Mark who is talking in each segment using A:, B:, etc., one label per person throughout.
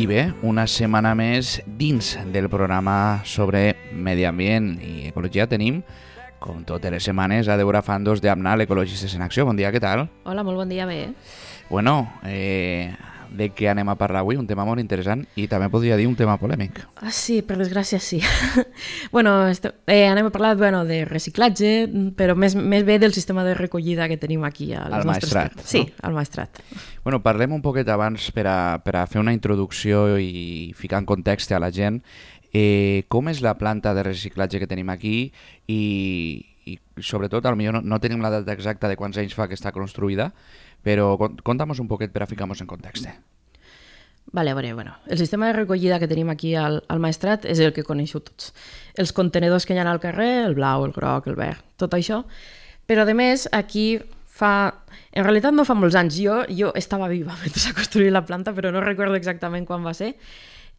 A: I bé, una setmana més dins del programa sobre medi ambient i ecologia tenim, com totes les setmanes, a Deborah Fandos d'Amnal, Ecologistes en Acció. Bon dia, què tal?
B: Hola, molt bon dia, bé.
A: Bueno, de què anem a parlar avui? Un tema molt interessant i també podria dir un tema polèmic.
B: Sí, per desgràcia sí. Anem a parlar de reciclatge, però més bé del sistema de recollida que tenim aquí
A: al Maestrat.
B: Sí, al Maestrat.
A: Bueno, parlem un poquet abans per a fer una introducció i ficar en context a la gent. Com és la planta de reciclatge que tenim aquí i sobretot, potser no tenim la data exacta de quants anys fa que està construïda, però conta'm un poquet per a ficar-nos en context.
B: Vale, bueno, el sistema de recollida que tenim aquí al Maestrat és el que coneixeu tots. Els contenedors que hi ha al carrer, el blau, el groc, el verd, tot això. Però a més, aquí en realitat no fa molts anys. Jo estava viva mentre s'ha construït la planta, però no recordo exactament quan va ser,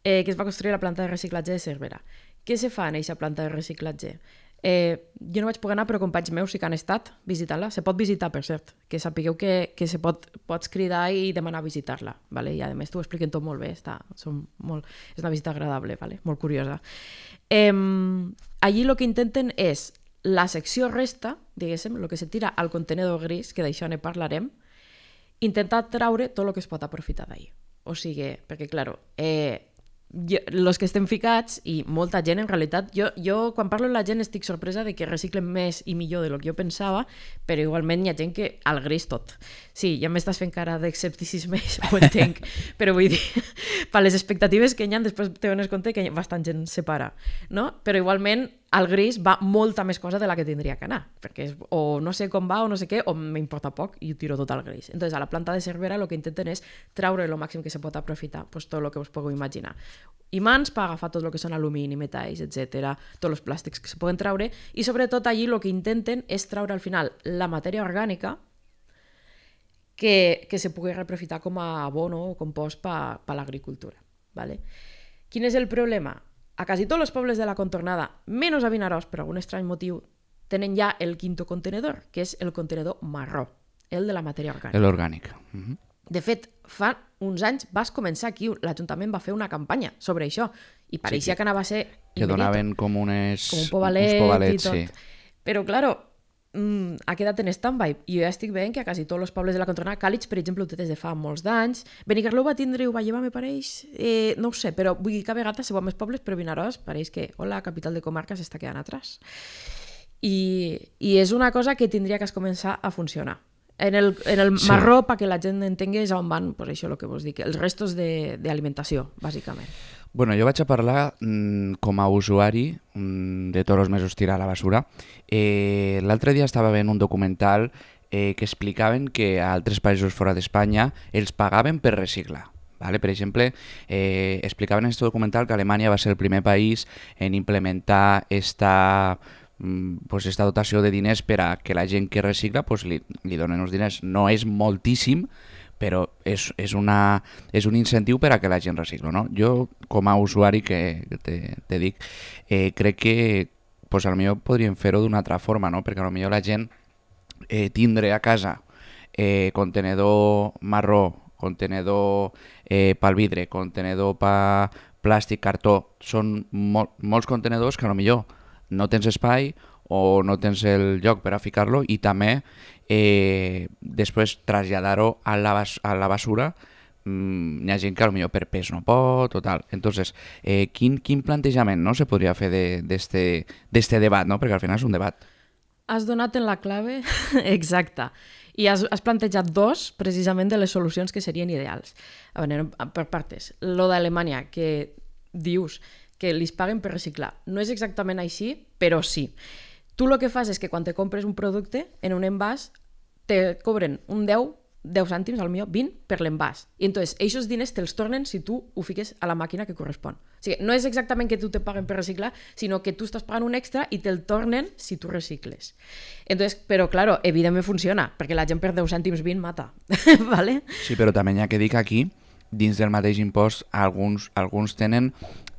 B: que es va construir la planta de reciclatge de Cervera. Què se fa en aquesta planta de reciclatge? Jo no vaig poder anar, però companys meus sí que han estat visitant-la. Se pot visitar, per cert, que sapigueu que pots cridar i demanar visitar-la. Vale? I a més t'ho expliquen tot molt bé, és una visita agradable, vale? Molt curiosa. Allí el que intenten és la secció resta, diguéssim, el que se tira al contenedor gris, que d'això ne parlarem, intentar traure tot el que es pot aprofitar d'ahir. O sigui, perquè, clar, els que estem ficats i molta gent en realitat, jo quan parlo amb la gent estic sorpresa de que reciclen més i millor del que jo pensava, però igualment hi ha gent que al gris tot. Sí, ja m'estàs fent cara d'escepticisme, ho entenc, però vull dir, per les expectatives que hi ha després te dones compte que bastant gent separa, no? Però igualment al gris va molta més cosa de la que tindria que anar, perquè o no sé com va o no sé què, o m'importa poc i ho tiro tot al gris. Entonces, a la planta de Cervera el que intenten és treure el màxim que se pot aprofitar, pues, tot el que us pugueu imaginar. Imants per agafar tot el que són alumini, metalls, etc., tots els plàstics que se poden treure, i sobretot allí el que intenten és treure al final la matèria orgànica que se pugui reaprofitar com a abono o compost per l'agricultura. Vale? Quin és el problema? A quasi tots els pobles de la contornada, menys a Vinaròs, per algun estrany motiu, tenen ja el quinto contenedor, que és el contenedor marró, el de la matèria orgànica.
A: L'orgànica.
B: De fet, fa uns anys vas començar aquí, l'Ajuntament va fer una campanya sobre això, i pareixia que anava a ser
A: que donaven com un
B: pobalet i tot.
A: Sí.
B: Però, clar, ha quedat en stand-by, i jo ja estic veient que a quasi tots els pobles de la contornada, Càlig, per exemple, ho té des de fa molts d'anys, Benicarló va tindre i ho va llevar, me pareix, no ho sé, però vull dir que a vegades se veuen més pobles, però Vinaròs pareix que, la capital de comarca s'està quedant atrás. I és una cosa que tindria que començar a funcionar. En el marró, perquè la gent entengui, és on van, pues això el que vos dic, els restos d'alimentació, bàsicament.
A: Bueno, jo vaig a parlar com a usuari de tots els mesos tirar a la basura. L'altre dia estava veient un documental que explicaven que a altres països fora d'Espanya els pagaven per reciclar. Vale? Per exemple, explicaven en aquest documental que Alemanya va ser el primer país en implementar esta dotació de diners per a que la gent que recicla li donen els diners. No és moltíssim, però és un incentiu per a que la gent recicla, no? Jo, com a usuari que te dic, crec que potser podríem fer-ho d'una altra forma, no? Perquè potser la gent tindre a casa contenedor marró, contenedor pel vidre, contenedor per plàstic, cartó, són molts contenedors que potser no tens espai o no tens el lloc per a ficar-lo, i també després traslladar-ho a la basura. Hi ha gent que potser per pes no pot o tal. Entonces, quin plantejament no se podria fer d'este debat, no? Perquè al final és un debat.
B: Has donat en la clave exacta. I has plantejat dos, precisament, de les solucions que serien ideals. A veure, per partes. Lo d'Alemanya, que dius que li paguen per reciclar. No és exactament així, però sí. Tu el que fas és que quan te compres un producte en un envàs te cobren un 10 cèntims, al millor 20 per l'envàs. I entonces, aquests diners te'ls tornen si tu ho fiques a la màquina que correspon. O sigui, no és exactament que tu te paguen per reciclar, sinó que tu estàs pagant un extra i te'l tornen si tu recicles. Entonces, però, claro, evidentment funciona, perquè la gent per 10 cèntims 20 mata. ¿Vale?
A: Sí, però també hi ha que dir que aquí, dins del mateix impost, alguns tenen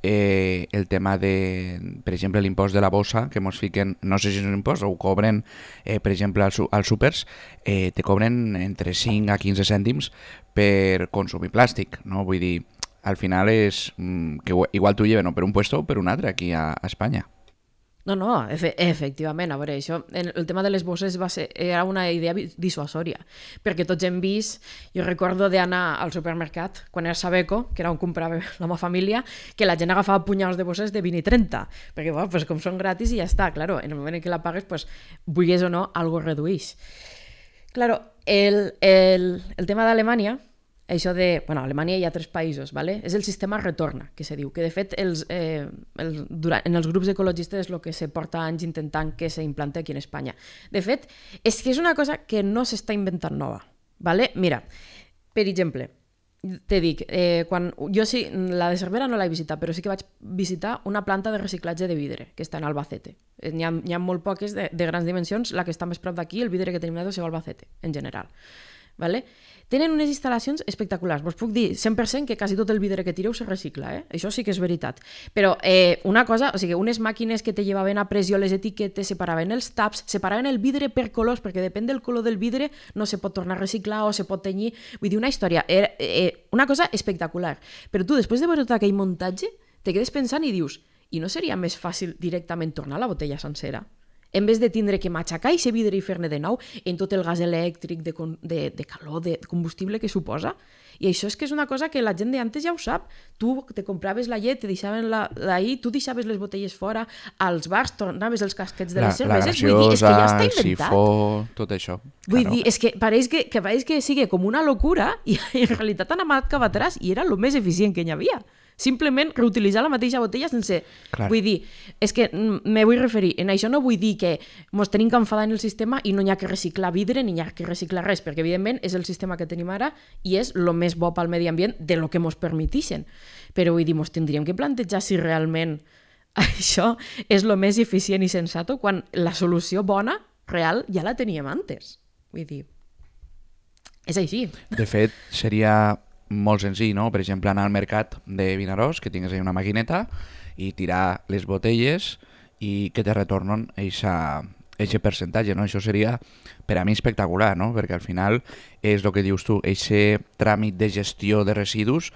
A: el tema de, per exemple, l'impost de la bossa, que ens fiquen, no sé si és un impost o ho cobren, per exemple, als súpers, te cobren entre 5 a 15 cèntims per consumir plàstic, no? Vull dir, al final és que igual t'ho lleven o per un puesto o per un altre aquí a Espanya.
B: No, efectivament, a veure, això, el tema de les bosses era una idea dissuasòria, perquè tots hem vist, jo recordo d'anar al supermercat, quan era Sabeco, que era on comprava la meva família, que la gent agafava punyaus de bosses de 20 i 30, perquè bueno, pues, com són gratis i ja està, claro, en el moment en què la pagues, pues, vulguis o no, algo reduïx. Claro, el tema d'Alemanya, això de... Bueno, a Alemanya hi ha 3 països, ¿vale? És el sistema retorna, que se diu, que de fet en els grups ecologistes és el que se porta anys intentant que s'implante aquí en Espanya. De fet, és que és una cosa que no s'està inventant nova, ¿vale? Mira, per exemple, te dic, la de Cervera no l'he visitat, però sí que vaig visitar una planta de reciclatge de vidre, que està en Albacete. N'hi ha molt poques de grans dimensions, la que està més prop d'aquí, el vidre que tenim nosaltres és Albacete, en general. ¿Vale? Tenen unes instal·lacions espectaculars. Vos puc dir 100% que quasi tot el vidre que tireu se recicla, Això sí que és veritat. Però una cosa, o sigui, unes màquines que te llevaven a pressió les etiquetes, separaven els taps, separaven el vidre per colors, perquè depèn del color del vidre no se pot tornar a reciclar o se pot tenyir. Vull dir, una història, una cosa espectacular. Però tu, després de veure tot aquell muntatge, te quedes pensant i dius, i no seria més fàcil directament tornar la botella sencera? En vez de tindre que matxacar i vidre i fer-ne de nou en tot el gas elèctric, de calor, de combustible que suposa. I això és que és una cosa que la gent d'antes ja ho sap. Tu te compraves la llet, te deixaven d'ahir, tu deixaves les botelles fora, als bars tornaves els casquets de les cerveses.
A: La
B: Vull dir, és que ja està
A: el
B: inventat.
A: sifó, tot això.
B: Vull dir, és que pareix que sigui com una locura i en realitat han anat cap atrás i era el més eficient que hi havia. Simplement reutilitzar la mateixa botella sense...
A: Clar.
B: Vull dir, és que me vull referir, en això no vull dir que mos tenim que enfadar en el sistema i no hi ha que reciclar vidre ni hi ha que reciclar res, perquè evidentment és el sistema que tenim ara i és el més bo pel medi ambient de lo que mos permetixen. Però vull dir, mos tindríem que plantejar si realment això és el més eficient i sensato quan la solució bona, real, ja la teníem antes. Vull dir, és així.
A: De fet, seria molt senzill, no? Per exemple, anar al mercat de Vinaròs, que tingues ahí una maquineta i tirar les botelles i que te retornen eixe percentatge, no? Això seria per a mi espectacular, no? Perquè al final és el que dius tu, eixe tràmit de gestió de residus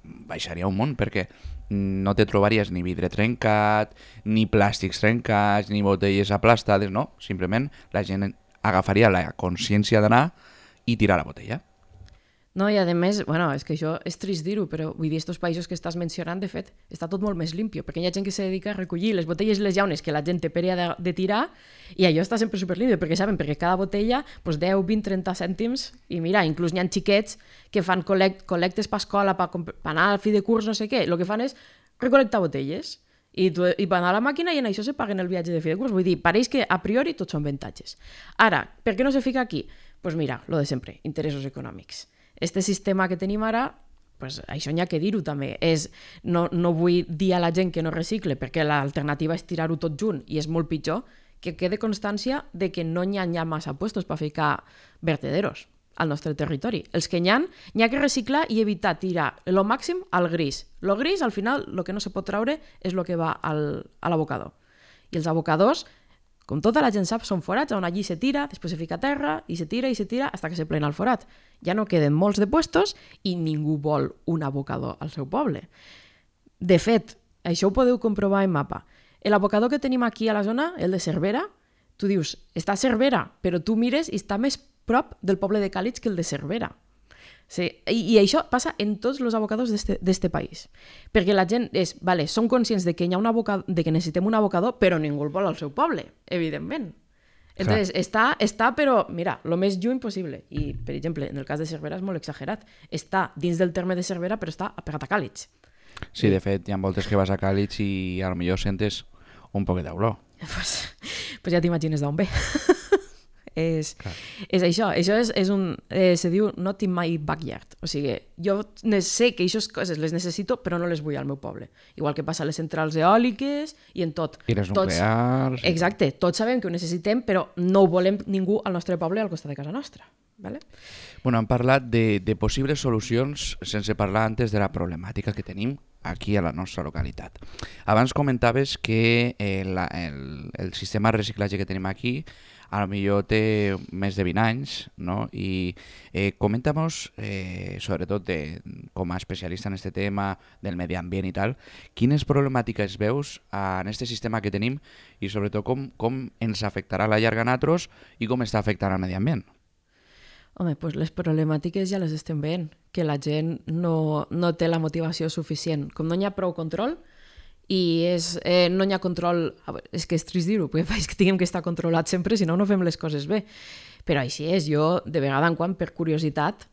A: baixaria un munt, perquè no te trobaries ni vidre trencat, ni plàstics trencats, ni botelles aplastades, no? Simplement la gent agafaria la consciència d'anar i tirar la botella.
B: No, i a més, bueno, és que això és trist dir-ho, però vull dir, estos països que estàs mencionant, de fet, està tot molt més limpio, perquè hi ha gent que se dedica a recollir les botelles i les llaunes que la gent té per de tirar, i allò està sempre superlimpio, perquè saben, perquè cada botella, pues 10, 20, 30 cèntims, i mira, inclús n'hi ha xiquets que fan col·lectes per escola, per anar al fi de curs, no sé què, el que fan és recol·lectar botelles, i van a la màquina i en això se paguen el viatge de fi de curs. Vull dir, pareix que a priori tots són avantatges. Ara, per què no se fica aquí? Pues mira, lo de sempre, interessos econòmics. Este sistema que tenim ara, pues això n'hi ha que dir-ho també, no vull dir a la gent que no recicle perquè l'alternativa és tirar-ho tot junt i és molt pitjor, que quede constància de que no n'hi ha massa puestos per ficar vertederos al nostre territori. Els que n'hi ha que reciclar i evitar tirar el màxim al gris. El gris, al final, el que no se pot traure és el que va a l'abocador. I els abocadors, com tota la gent sap, són forats on allí se tira, després se fica a terra i se tira fins que se plena el forat. Ja no queden molts de puestos i ningú vol un abocador al seu poble. De fet, això ho podeu comprovar en mapa. L'abocador que tenim aquí a la zona, el de Cervera, tu dius, està a Cervera, però tu mires i està més prop del poble de Càlig que el de Cervera. Sí, i això passa en tots els abocadors d'este país. Perquè la gent són conscients de que, de que necessitem un abocador, però ningú el vol al seu poble, evidentment. Entonces, està, però, mira, el més lluny possible. I, per exemple, en el cas de Cervera és molt exagerat. Està dins del terme de Cervera, però està pegat a Càlig.
A: Sí, de fet, hi ha voltes que vas a Càlig i a lo millor sentes un poquet d'olor.
B: Pues ja t'imagines d'on ve. És això és un... se diu not in my backyard. O sigui, jo sé que aquestes coses les necessito, però no les vull al meu poble. Igual que passa a les centrals eòliques i en tot.
A: I les nuclears...
B: Exacte, tots sabem que ho necessitem, però no ho volem ningú al nostre poble al costat de casa nostra. Vale?
A: Bueno, hem parlat de possibles solucions sense parlar antes de la problemàtica que tenim aquí a la nostra localitat. Abans comentaves que el sistema de reciclatge que tenim aquí a lo millor té més de 20 anys, no? I coméntanos, sobretot com a especialista en este tema del medi ambient i tal, quines problemàtiques veus en este sistema que tenim i sobretot com ens afectarà a la llarga a nosaltres i com està afectant al medi ambient.
B: Home, doncs les problemàtiques ja les estem veient, que la gent no té la motivació suficient. Com no hi ha prou control, i no hi ha control... És que és trist dir-ho, perquè és que tinguem que estar controlat sempre, si no, no fem les coses bé. Però així és, jo de vegada en quan, per curiositat,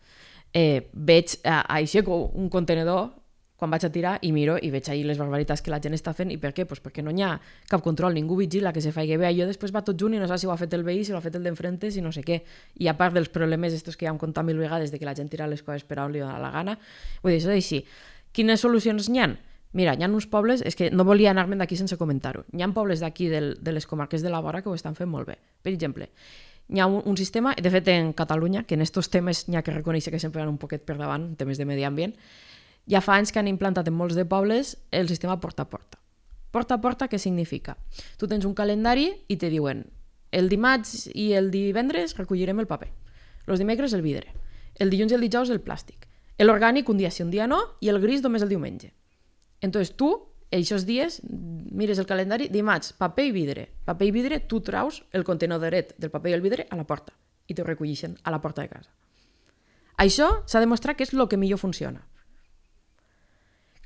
B: veig aixeco un contenedor quan vaig a tirar i miro i veig ahir les barbaritats que la gent està fent. I per què? Pues perquè no hi ha cap control, ningú vigila que se faci bé. Jo després va tot junt i no saps si ho ha fet el veí, si ho ha fet el d'enfrente, si no sé què. I a part dels problemes estos que ja hem contat 1000 vegades de que la gent tira les coses per on li dona la gana, vull dir, això és així. Quines solucions n'hi ha? Mira, hi ha uns pobles, és que no volia anar-me'n d'aquí sense comentar-ho, hi ha pobles d'aquí de les comarques de la vora que ho estan fent molt bé. Per exemple, hi ha un sistema, de fet en Catalunya, que en estos temes n'hi ha que reconèixer que sempre van un poquet per davant, en temes de medi ambient, ja fa anys que han implantat en molts de pobles el sistema porta a porta. Porta a porta què significa? Tu tens un calendari i te diuen el dimarts i el divendres recollirem el paper, els dimecres el vidre, el dilluns i el dijous el plàstic, l'orgànic un dia sí, un dia no, i el gris només el diumenge. Entonces tu, aquests dies, mires el calendari, dimarts, paper i vidre, tu traus el contenedoret del paper i el vidre a la porta i te recollixen a la porta de casa. Això s'ha demostrat que és el que millor funciona.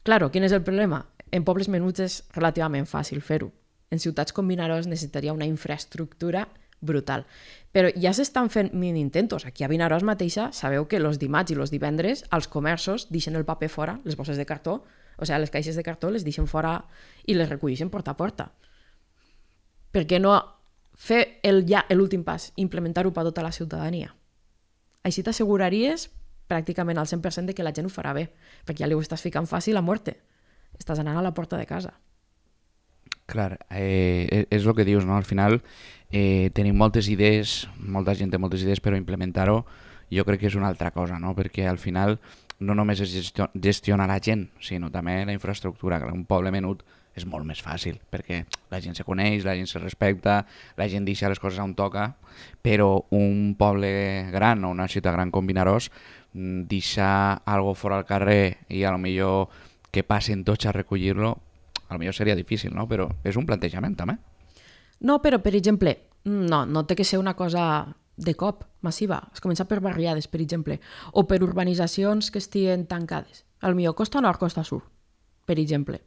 B: Claro, quin és el problema? En pobles menuts és relativament fàcil fer-ho. En ciutats com Vinaròs necessitaria una infraestructura brutal. Però ja s'estan fent mini-intentos. Aquí a Vinaròs mateixa sabeu que els dimarts i els divendres els comerços deixen el paper fora, les bosses de cartó, o sigui, les caixes de cartó les deixen fora i les recolleixen porta a porta. Per què no fer l'últim pas, implementar-ho per tota la ciutadania? Així t'asseguraries pràcticament al 100% de que la gent ho farà bé, perquè ja li ho estàs ficant fàcil a muerte. Estàs anant a la porta de casa.
A: Clar, és el que dius, no? Al final tenim moltes idees, molta gent té moltes idees, però implementar-ho jo crec que és una altra cosa, no? Perquè al final no només és gestionar la gent, sinó també la infraestructura. Un poble menut és molt més fàcil, perquè la gent se coneix, la gent se respecta, la gent deixa les coses on toca, però un poble gran o una ciutat gran com Vinaròs, deixar algo fora al carrer i a lo millor que passen tots a recollir-lo, a lo millor seria difícil, no? Però és un plantejament també.
B: No, però per exemple, no té que ser una cosa de cop, massiva. Es comença per barriades, per exemple, o per urbanitzacions que estiguen tancades. A lo millor costa nord, costa sud, per exemple.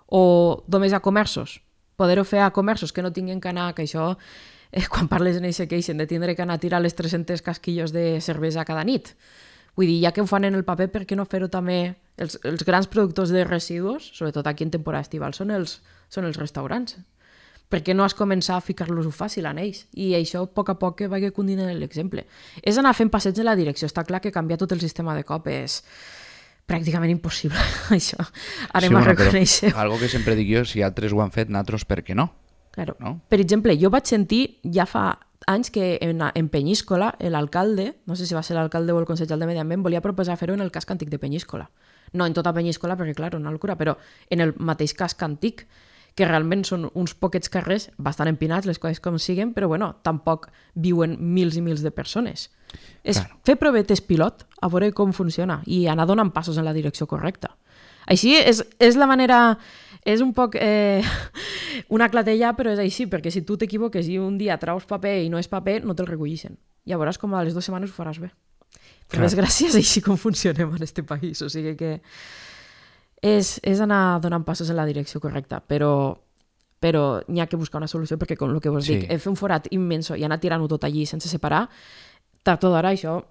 B: O només a comerços. Poder-ho fer a comerços que no tinguin que anar, que això, quan parles en eixe queixen, de tindre que anar a tirar les 300 casquillos de cervesa cada nit. Vull dir, ja que ho fan en el paper, per què no fer-ho també? Els grans productors de residus, sobretot aquí en temporada estival, són els restaurants. Per què no has començat a ficar-los-ho fàcil en ells? I això, a poc que vagi continuant l'exemple. És anar fent passets en la direcció. Està clar que canviar tot el sistema de cop és pràcticament impossible, això. Anem a reconèixer.
A: Algo que sempre dic jo, si altres ho han fet, nosaltres per què no?
B: Claro.
A: No?
B: Per exemple, jo vaig sentir ja fa anys que en Penyíscola l'alcalde, no sé si va ser l'alcalde o el consellal de Medi Ambient, volia proposar fer-ho en el casc antic de Penyíscola. No en tota Penyíscola, perquè clar, una locura, però en el mateix casc antic, que realment són uns poquets carrers bastant empinats, les coses com siguen, però bueno, tampoc viuen mils i mils de persones. És fer provetes pilot, a veure com funciona, i anar donant passos en la direcció correcta. Així és la manera... És un poc una clatella, però és així, perquè si tu t'equivoques i un dia traus paper i no és paper, no te'l recollixen. Ja veuràs com a les 2 setmanes ho faràs bé. Per desgràcia és així com funcionem en este país, o sigui que és anar donant passos en la direcció correcta, però n'hi ha que buscar una solució, perquè com el que vos dic, fer un forat immenso i anar tirant-ho tot allí sense separar, tard o d'hora això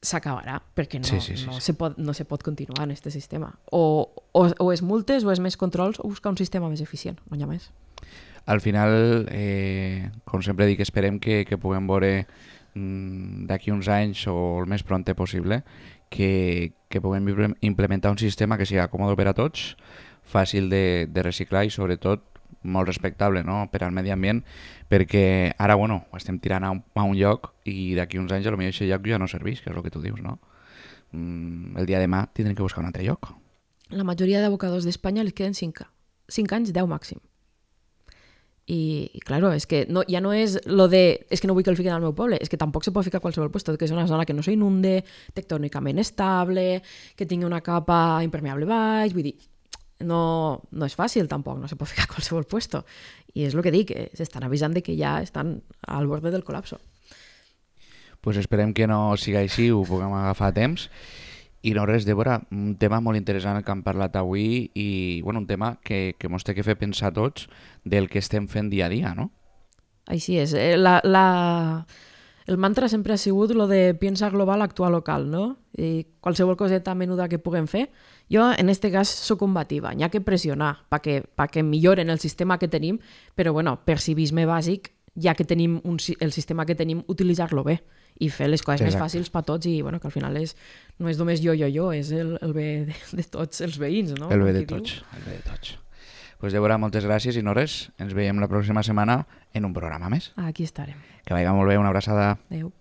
B: s'acabarà, perquè no se pot continuar en aquest sistema. O és multes, o és més controls, o buscar un sistema més eficient, no hi ha més.
A: Al final, com sempre dic, esperem que puguem veure d'aquí uns anys o el més prompte possible que puguem implementar un sistema que sigui còmode per a tots, fàcil de reciclar i sobretot molt respectable, no? Per al medi ambient, perquè ara ho estem tirant a un lloc i d'aquí uns anys potser aquest lloc ja no serveix, que és el que tu dius, no? El dia de demà tindrem que buscar un altre lloc.
B: La majoria d'abocadors d'Espanya els queden 5 anys, 10 màxim. I claro, és que no, ja no és lo de és que no vull que el fiquen al meu poble, és que tampoc se pot ficar a qualsevol lloc, que és una zona que no s'inunde, tectònicament estable, que tingui una capa impermeable baix, vull dir, no és fàcil tampoc, no se pot ficar a qualsevol lloc. I és el que dic, s'estan avisant de que ja estan al borde del col·lapso.
A: Pues esperem que no siga així, ho puguem agafar a temps. I no res, Débora, un tema molt interessant que hem parlat avui i bueno, un tema que ens té que fer pensar tots del que estem fent dia a dia, no?
B: Així és. El mantra sempre ha sigut lo de piensa global, actua local, no? I qualsevol coseta menuda que puguem fer. Jo, en este cas, soc combativa. N'hi ha que pressionar perquè milloren el sistema que tenim, però, bueno, per civisme bàsic, ja que tenim el sistema que tenim, utilitzar-lo bé i fer les coses més fàcils per tots i, bueno, que al final no és només jo, és el bé de tots els veïns, no?
A: El bé de tots, el bé de tots. Pues Débora, moltes gràcies i no res, ens veiem la pròxima setmana en un programa més.
B: Aquí estarem.
A: Que vagi molt bé, una abraçada.
B: Adéu.